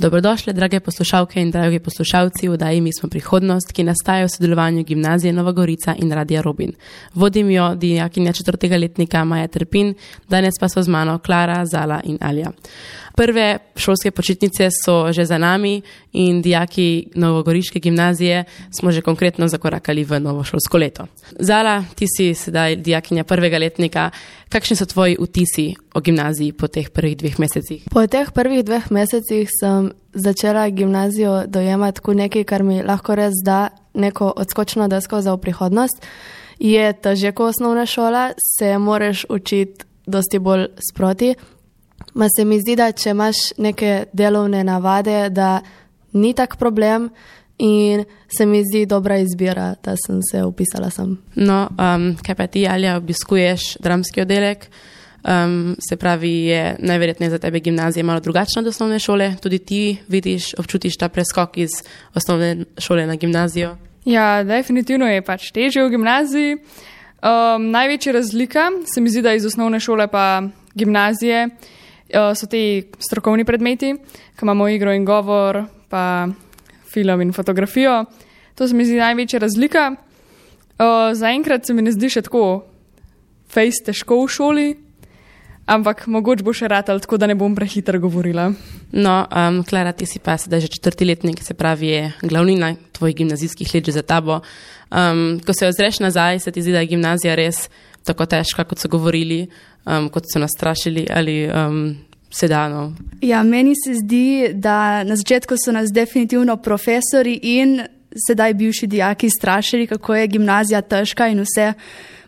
Dobrodošli, drage poslušalke in dragi poslušalci v oddaji Mi smo prihodnost, ki nastaja v sodelovanju Gimnazije Nova Gorica in Radia Robin. Vodim jo dijakinja 4. letnika Maja Trpin, danes pa so z mano Klara, Zala in Alja. Prve šolske počitnice so že za nami in dijaki Novogoriške gimnazije smo že konkretno zakorakali v novo šolsko leto. Zala, ti si sedaj dijakinja 1. letnika. Kakšni so tvoji vtisi o gimnaziji po teh prvih 2 mesecih? Po teh prvih 2 mesecih sem začela gimnazijo dojemati kot nekaj, kar mi lahko res da neko odskočno desko za v prihodnost. Je težje kot osnovna šola, se moraš učiti dosti bolj sproti. Ma se mi zdi, da če imaš neke delovne navade, da ni tak problem in se mi zdi dobra izbira, da sem se upisala sem. No, kaj pa ti, Alja, obiskuješ dramski oddelek? Se pravi, je najverjetneje za tebe gimnazija malo drugačna od osnovne šole. Tudi ti vidiš, občutiš ta preskok iz osnovne šole na gimnazijo? Ja, definitivno je pač težje v gimnaziji. Največja razlika se mi zdi, da iz osnovne šole pa gimnazije so ti strokovni predmeti, ko imamo igro in govor, pa film in fotografijo. To se mi zdi največja razlika. Zaenkrat se mi ne zdi še tako fejs težko v šoli, ampak mogoče bo še ratal, tako da ne bom prehitro govorila. No, Klara, ti si pa sedaj že 4. letnik, se pravi je glavnina tvojih gimnazijskih let že za tabo. Ko se ozreš nazaj, se ti zdi, da je gimnazija res tako težka, kot so govorili, kot so nas strašili ali sedano? Ja, meni se zdi, da na začetku so nas definitivno profesori in sedaj bivši dijaki strašili, kako je gimnazija težka in vse.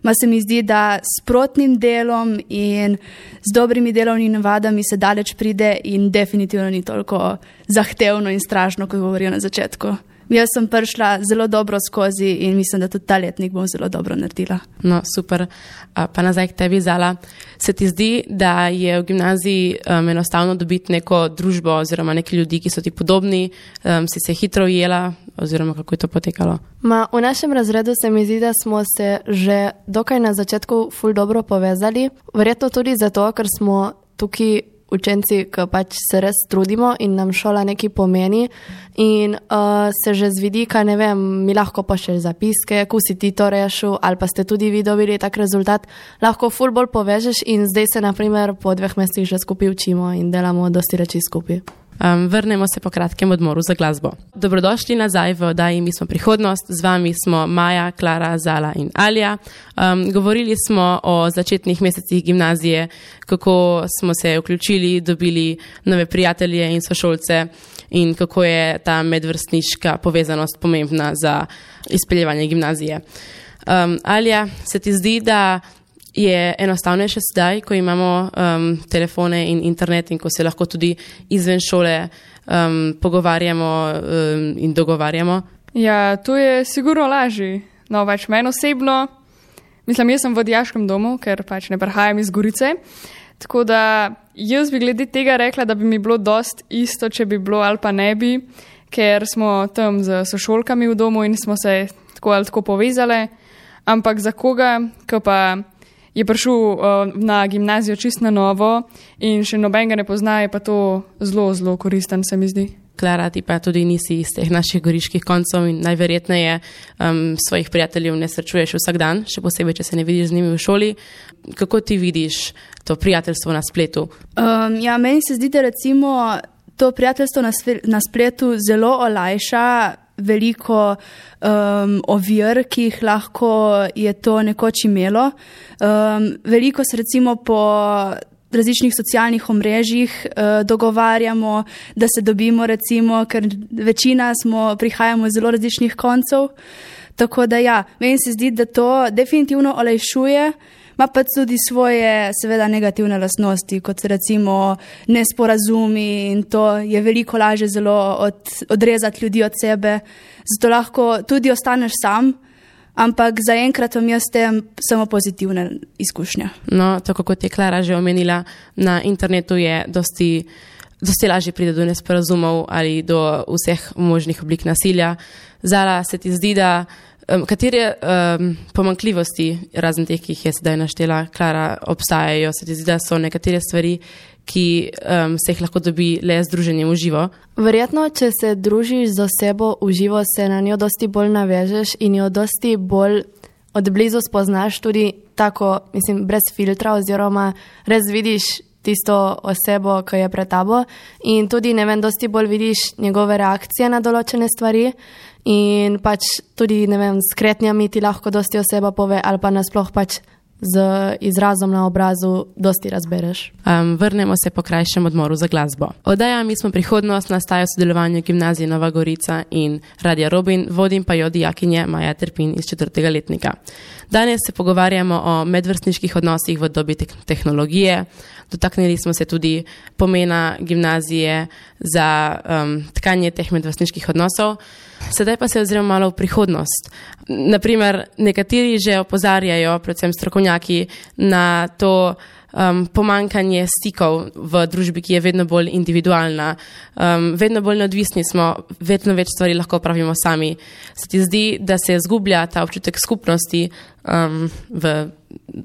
Ma se mi zdi, da s sprotnim delom in z dobrimi delovnimi navadami se daleč pride in definitivno ni toliko zahtevno in strašno, kot govorijo na začetku. Jaz sem prišla zelo dobro skozi in mislim, da tudi ta letnik bom zelo dobro naredila. No, super. Pa nazaj k tebi, Zala. Se ti zdi, da je v gimnaziji enostavno dobiti neko družbo oziroma neki ljudi, ki so ti podobni? Si se hitro ujela oziroma kako je to potekalo? V našem razredu se mi zdi, da smo se že dokaj na začetku ful dobro povezali. Verjetno tudi zato, ker smo tukaj učenci, ki pač se res trudimo in nam šola nekaj pomeni in se že z vidika, ne vem, mi lahko pošlješ zapiske, ko si ti to rešil ali pa ste tudi vi dobili tak rezultat, lahko ful bolj povežeš in zdaj se naprimer po 2 mesecih že skupaj učimo in delamo dosti reči skupaj. Vrnemo se po kratkem odmoru za glasbo. Dobrodošli nazaj v oddaji Mi smo prihodnost. Z vami smo Maja, Klara, Zala in Alja. Govorili smo o začetnih mesecih gimnazije, kako smo se vključili, dobili nove prijatelje in sošolce in kako je ta medvrstniška povezanost pomembna za izpeljevanje gimnazije. Alja, se ti zdi, da je enostavnejše sedaj, ko imamo telefone in internet in ko se lahko tudi izven šole pogovarjamo in dogovarjamo? Ja, to je sigurno lažje. No, pač meni osebno, mislim, jaz sem v dijaškem domu, ker pač ne prihajam iz Gorice, tako da jaz bi glede tega rekla, da bi mi bilo dost isto, če bi bilo ali pa ne bi, ker smo tam z sošolkami v domu in smo se tako ali tako povezali, ampak za koga, ko pa je prišel na gimnazijo čist na novo in še nobenega ne pozna, je pa to zelo, zelo koristen, se mi zdi. Klara, ti pa tudi nisi iz teh naših goriških koncev in najverjetneje svojih prijateljev ne srečuješ vsak dan, še posebej, če se ne vidiš z njimi v šoli. Kako ti vidiš to prijateljstvo na spletu? Ja, meni se zdi, da recimo to prijateljstvo na spletu zelo olajša veliko ovir, ki jih lahko je to nekoč imelo. Veliko se recimo po različnih socialnih omrežjih dogovarjamo, da se dobimo recimo, ker večina prihajamo iz zelo različnih koncev. Tako da ja, meni se zdi, da to definitivno olajšuje, ima pa tudi svoje seveda negativne lastnosti, kot recimo nesporazumi in to je veliko lažje zelo odrezati ljudi od sebe. Zato lahko tudi ostaneš sam, ampak zaenkrat vam jaz tem samo pozitivne izkušnje. No, tako kot je Klara že omenila, na internetu je dosti lažje pride do nesporazumov ali do vseh možnih oblik nasilja. Zala, se ti zdi, da Katere pomanjkljivosti, razen teh, ki jih je sedaj naštela Klara, obstajajo? Se ti zdi, da so nekatere stvari, ki se jih lahko dobi le z druženjem v živo? Verjetno, če se družiš z osebo v živo, se na njo dosti bolj navežeš in jo dosti bolj od blizu spoznaš, tudi tako, brez filtra, oziroma res vidiš tisto osebo, ki je pred tabo in tudi, dosti bolj vidiš njegove reakcije na določene stvari in pač tudi, s kretnjami ti lahko dosti oseba pove ali pa nasploh pač z izrazom na obrazu dosti razbereš. Vrnemo se po krajšem odmoru za glasbo. Oddaja Mi smo prihodnost nastaja v sodelovanju Gimnazije Nova Gorica in Radia Robin, vodim pa jo dijakinje Maja Terpin iz 4. letnika. Danes se pogovarjamo o medvrstniških odnosih v dobi tehnologije. Dotaknili smo se tudi pomena gimnazije za tkanje teh medvrstniških odnosov. Sedaj pa se oziramo malo v prihodnost. Naprimer, nekateri že opozarjajo, predvsem strokovnjaki, na to pomankanje stikov v družbi, ki je vedno bolj individualna. Vedno bolj neodvisni smo, vedno več stvari lahko pravimo sami. Se ti zdi, da se zgublja ta občutek skupnosti v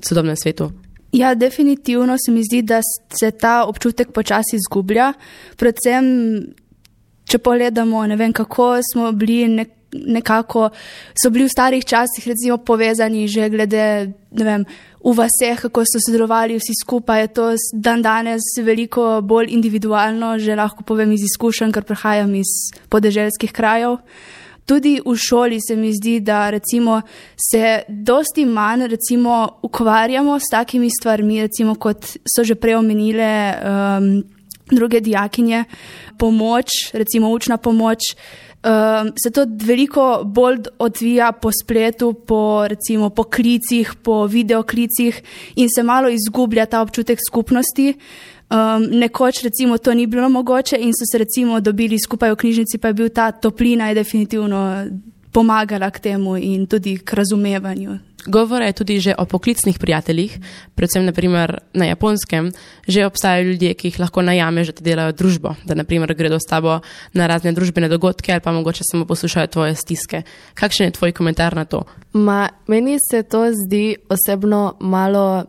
sodobnem svetu? Ja, definitivno se mi zdi, da se ta občutek počasi izgublja. Predvsem, če pogledamo, kako smo bili nekako, so bili v starih časih recimo povezani že glede, v vaseh, kako so sodelovali vsi skupaj, je to dan danes veliko bolj individualno, že lahko povem iz izkušenj, ker prihajam iz podeželskih krajev. Tudi v šoli se mi zdi, da recimo se dosti manj ukvarjamo s takimi stvarmi, recimo kot so že prej omenile druge dijakinje, pomoč, recimo učna pomoč, se to veliko bolj odvija po spletu, po klicih, po videoklicih in se malo izgublja ta občutek skupnosti. Nekoč recimo to ni bilo mogoče in so se recimo dobili skupaj v knjižnici, pa je bil ta toplina je definitivno pomagala k temu in tudi k razumevanju. Govora je tudi že o poklicnih prijateljih, predvsem naprimer na Japonskem, že obstajajo ljudje, ki jih lahko najameš, da ti delajo družbo, da naprimer gredo s tabo na razne družbene dogodke ali pa mogoče samo poslušajo tvoje stiske. Kakšen je tvoj komentar na to? Meni se to zdi osebno malo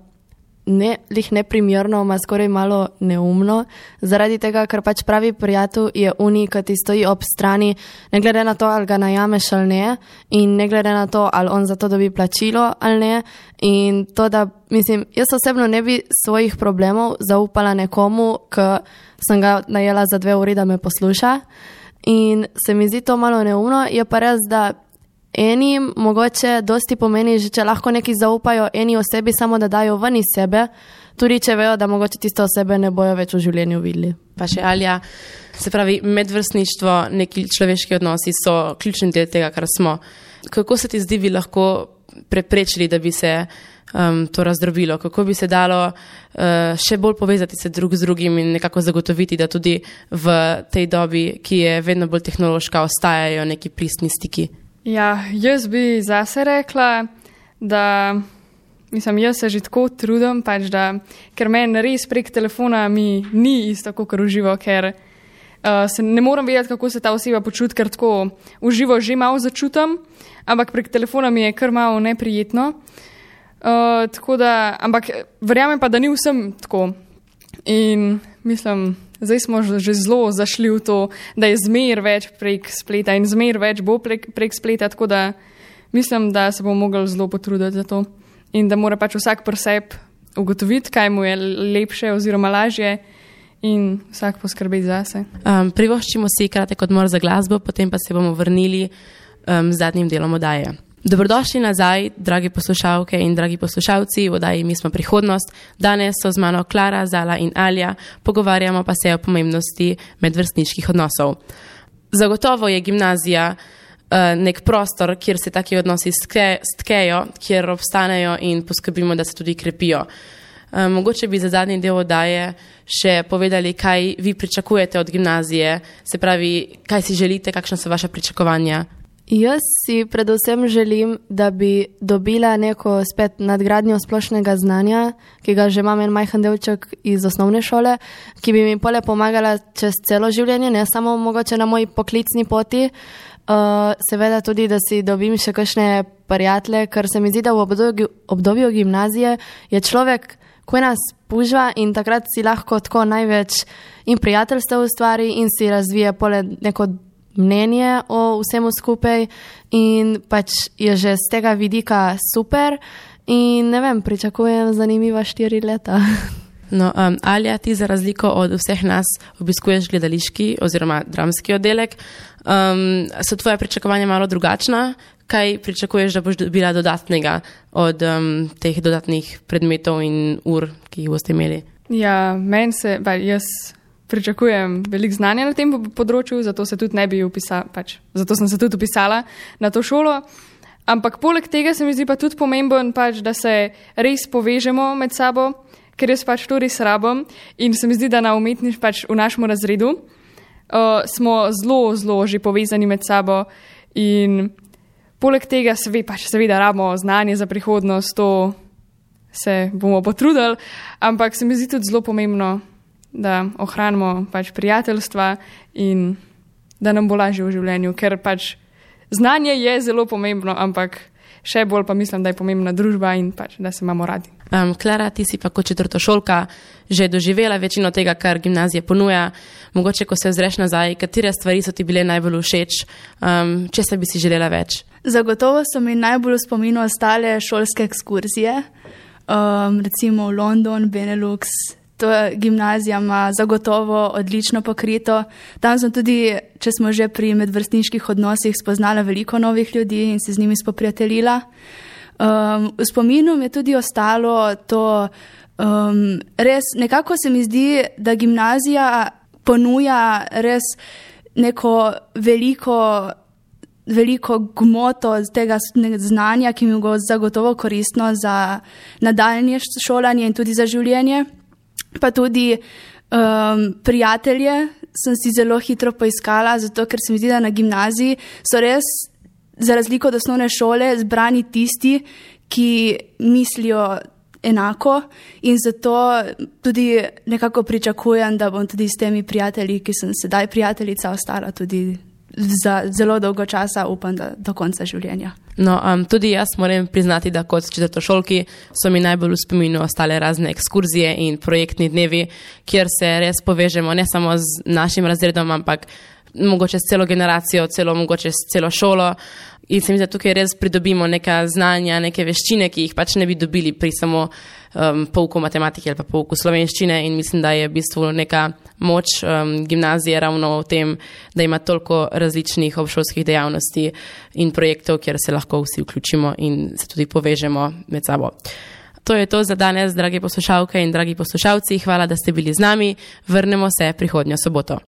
neprimerno, skoraj malo neumno, zaradi tega, ker pač pravi prijatelj je unik, ki ti stoji ob strani, ne glede na to, ali ga najameš ali ne, in ne glede na to, ali on za to dobi plačilo ali ne. In to, da, jaz osebno ne bi svojih problemov zaupala nekomu, ki sem ga najela za 2 uri, da me posluša. In se mi zdi to malo neumno, je pa res, da enim mogoče dosti pomeni, že če lahko neki zaupajo eni osebi, samo da dajo ven iz sebe, tudi če vejo, da mogoče tiste osebe ne bojo več v življenju videli. Pa še Alja, se pravi, medvrstništvo, neki človeški odnosi so ključni del tega, kar smo. Kako se ti zdi, bi lahko preprečili, da bi se to razdrobilo? Kako bi se dalo še bolj povezati se drug z drugim in nekako zagotoviti, da tudi v tej dobi, ki je vedno bolj tehnološka, ostajajo neki pristni stiki? Ja, jaz bi zase rekla, da jaz se že tako trudim, pač ker meni res prek telefona mi ni isto kot v živo, ker se ne morem vedeti, kako se ta oseba počuti, ker tako v živo že malo začutim, ampak prek telefona mi je kar malo neprijetno. Ampak verjamem pa, da ni vsem tako. In zdaj smo že zelo zašli v to, da je zmer več prek spleta in zmer več bo prek spleta, tako da mislim, da se bomo mogli zelo potruditi za to in da mora pač vsak pri sebi ugotoviti, kaj mu je lepše oziroma lažje in vsak poskrbeti zase. Privoščimo si kratek odmor za glasbo, potem pa se bomo vrnili z zadnjim delom oddaje. Dobrodošli nazaj, dragi poslušalke in dragi poslušalci, v oddaji Mi smo prihodnost. Danes so z mano Klara, Zala in Alja, pogovarjamo pa se o pomembnosti medvrstniških odnosov. Zagotovo je gimnazija nek prostor, kjer se taki odnosi stkejo, kjer obstanejo in poskrbimo, da se tudi krepijo. Mogoče bi za zadnji del oddaje še povedali, kaj vi pričakujete od gimnazije, se pravi, kaj si želite, kakšna so vaša pričakovanja? Jaz si predvsem želim, da bi dobila neko spet nadgradnjo splošnega znanja, ki ga že imam en majhen delček iz osnovne šole, ki bi mi pole pomagala čez celo življenje, ne samo mogoče na moji poklicni poti. Seveda tudi, da si dobim še kakšne prijatelje, ker se mi zdi, da v obdobju gimnazije je človek, ko nas pužva in takrat si lahko tako največ in prijateljstev ustvari in si razvije neko mnenje o vsemu skupaj in pač je že z tega vidika super in ne vem, pričakujem zanimiva 4 leta. No, Alja, ti za razliko od vseh nas obiskuješ gledališki oziroma dramski oddelek. So tvoje pričakovanja malo drugačna? Kaj pričakuješ, da boš dobila dodatnega od teh dodatnih predmetov in ur, ki jih boste imeli? Ja, jaz pričakujem veliko znanja na tem področju, zato se tudi zato sem se tudi upisala na to šolo. Ampak poleg tega se mi zdi pa tudi pomemben, da se res povežemo med sabo, ker jaz to res rabim in se mi zdi, da na v našem razredu smo zelo, zelo že povezani med sabo in poleg tega seveda rabimo znanje za prihodnost, to se bomo potrudili, ampak se mi zdi tudi zelo pomembno, da ohranimo prijateljstva in da nam bo lažje v življenju, ker znanje je zelo pomembno, ampak še bolj pa mislim, da je pomembna družba in da se imamo radi. Klara, ti si pa kot četrtošolka že doživela večino tega, kar gimnazija ponuja. Mogoče, ko se ozreš nazaj, katere stvari so ti bile najbolj všeč, česa bi si želela več? Zagotovo so mi najbolj v spominu ostale šolske ekskurzije, recimo v London, Benelux. To gimnazija ima zagotovo odlično pokrito. Tam sem tudi, če smo že pri medvrstniških odnosih, spoznala veliko novih ljudi in se z njimi spoprijateljila. V spominu mi je tudi ostalo to, res nekako se mi zdi, da gimnazija ponuja res neko veliko gmoto tega znanja, ki mi bo zagotovo koristno za nadaljnje šolanje in tudi za življenje. Pa tudi prijatelje sem si zelo hitro poiskala, zato ker se mi zdi, da na gimnaziji so res, za razliko od osnovne šole, zbrani tisti, ki mislijo enako in zato tudi nekako pričakujem, da bom tudi s temi prijatelji, ki sem sedaj prijateljica, ostala tudi za zelo dolgo časa, upam, da do konca življenja. No, tudi jaz moram priznati, da kot četrtošolki so mi najbolj v spominu ostale razne ekskurzije in projektni dnevi, kjer se res povežemo ne samo z našim razredom, ampak mogoče s celo generacijo, mogoče s celo šolo. In se mi zdi, da tukaj res pridobimo neka znanja, neke veščine, ki jih ne bi dobili pri samo pouku matematike ali pa pouku slovenščine in mislim, da je v bistvu neka moč gimnazije ravno v tem, da ima toliko različnih obšolskih dejavnosti in projektov, kjer se lahko vsi vključimo in se tudi povežemo med sabo. To je to za danes, dragi poslušalke in dragi poslušalci. Hvala, da ste bili z nami. Vrnemo se prihodnjo soboto.